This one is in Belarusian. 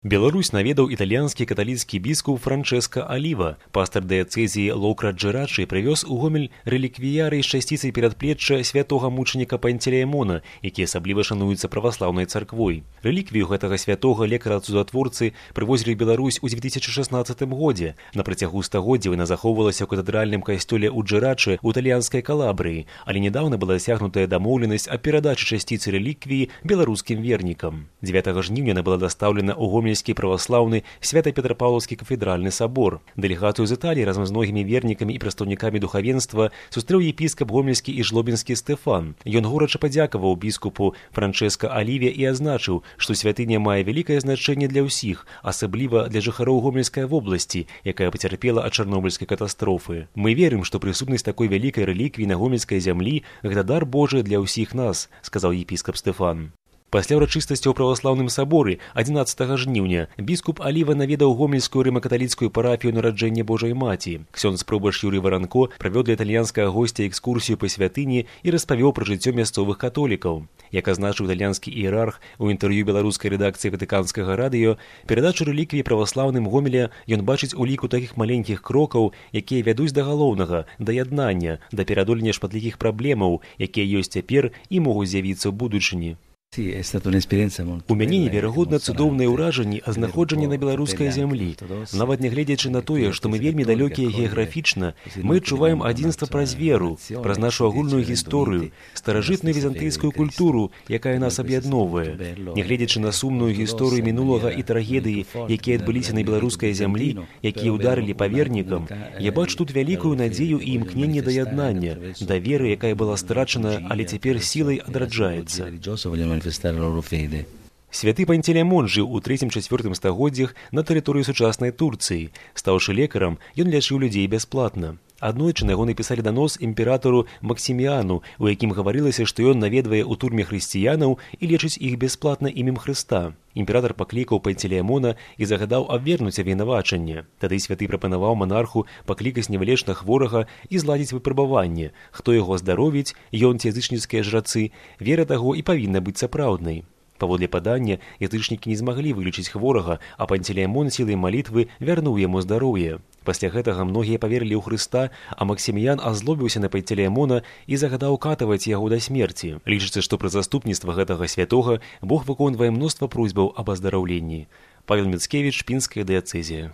Беларусь наведаў італьянскі каталіцкі біскуп Франчэска Аліва. Пастар дыяцэзіі Лоукра Джэрачы прывёз у Гомель рэліквіяры з часціцай перадплечча святога мучаніка Пантелеймона, які асабліва шануецца праваслаўнай царквой. Рэліквію гэтага святога лекара-цудатворцы прывозілі ў Беларусь у 2016 годзе. На працягу стагоддзяў яна захоўвалася ў катэдральным касцёле ў Джэрачы ў італьянскай Калабрыі, але нядаўна была дасягнутая дамоўленасць аб перадачы часціцы рэліквіі беларускім вернікам. 9 жніўня яна была дастаўлена ў Гомель праваслаўны Свята-Петрапаўлаўскі кафедральны сабор. Дэлегацыю з Італіі разам з многімі вернікамі і прадстаўнікамі духавенства сустрэў епіскап гомельскі і жлобінскі Стэфан. Ён горача падзякаваў біскупу Франчэска Аліве і азначыў, што святыня мае вялікае значэнне для ўсіх, асабліва для жыхароў Гомельскай вобласці, якая пацярпела ад чарнобыльскай катастрофы. Мы верым, што прысутнасць такой вялікай рэліквіі на гомельскай зямлі гэта дар Божы для ўсіх нас, сказаў епіскап Стэфан. Пасля ўрачыстасці ў праваслаўным саборы 11 жніўня біскуп Аліва наведаў гомельскую рыма-каталіцкую парафію нараджэння Божай Маці. Ксёндз прабаш Юрый Варанко правёў для італьянскага госця экскурсію па святыні і распавёў пра жыццё мясцовых католікаў. Як азначыў італьянскі іерарх у інтэрв'ю беларускай рэдакцыі ватыканскага радыё, перадачу рэліквіі праваслаўным Гомеля ён бачыць у ліку такіх маленькіх крокаў, якія вядуць да галоўнага, да яднання, да пераадолення шматлікіх праблемаў, якія ёсць цяпер і могуць з'явіцца ў будучыні. У мяне неверагодна цудоўныя ўражанні ад знаходжання на беларускай зямлі. Нават нягледзячы на тое, што мы вельмі далёкія геаграфічна, мы адчуваем адзінства праз веру, праз нашу агульную гісторыю, старажытную візантыйскую культуру, якая нас аб'ядноўвае. Нягледзячы на сумную гісторыю мінулага і трагедыі, якія адбыліся на беларускай зямлі, якія ўдарылі па вернікам, я бачу тут вялікую надзею і імкненне да яднання, да веры, якая была страчана, але цяпер сілай адраджаецца. Святы Пантелеймон жыў у 3-4 стагоддзях на тэрыторыі сучаснай Турцыі. Стаўшы лекарам, ён лячыў людзей бясплатна. Аднойчы на яго напісалі данос імператару Максіміяну, у якім гаварылася, што ён наведвае ў турме хрысціянаў і лечыць іх бясплатна імем Хрыста. Імператар паклікаў Пантелеймона і загадаў абвернуць абвінавачанне. Тады святы прапанаваў манарху паклікаць невылечна хворага і зладзіць выпрабаванне. Хто яго здаровіць, ён ці язычніцкія жрацы, вера таго і павінна быць сапраўднай. Паводле падання, язычнікі не змаглі вылечыць хворага, а Пантелеймон сілай малітвы вярнуў яму здароўе. Пасля гэтага многія паверылі ў Хрыста, а Максіміян азлобіўся на Пантелеймона і загадаў катаваць яго да смерці. Лічыцца, што пры заступніцтва гэтага святога Бог выконвае мноства просьбаў аб аздараўленні. Павел Міцкевіч, Пінская дыяцэзія.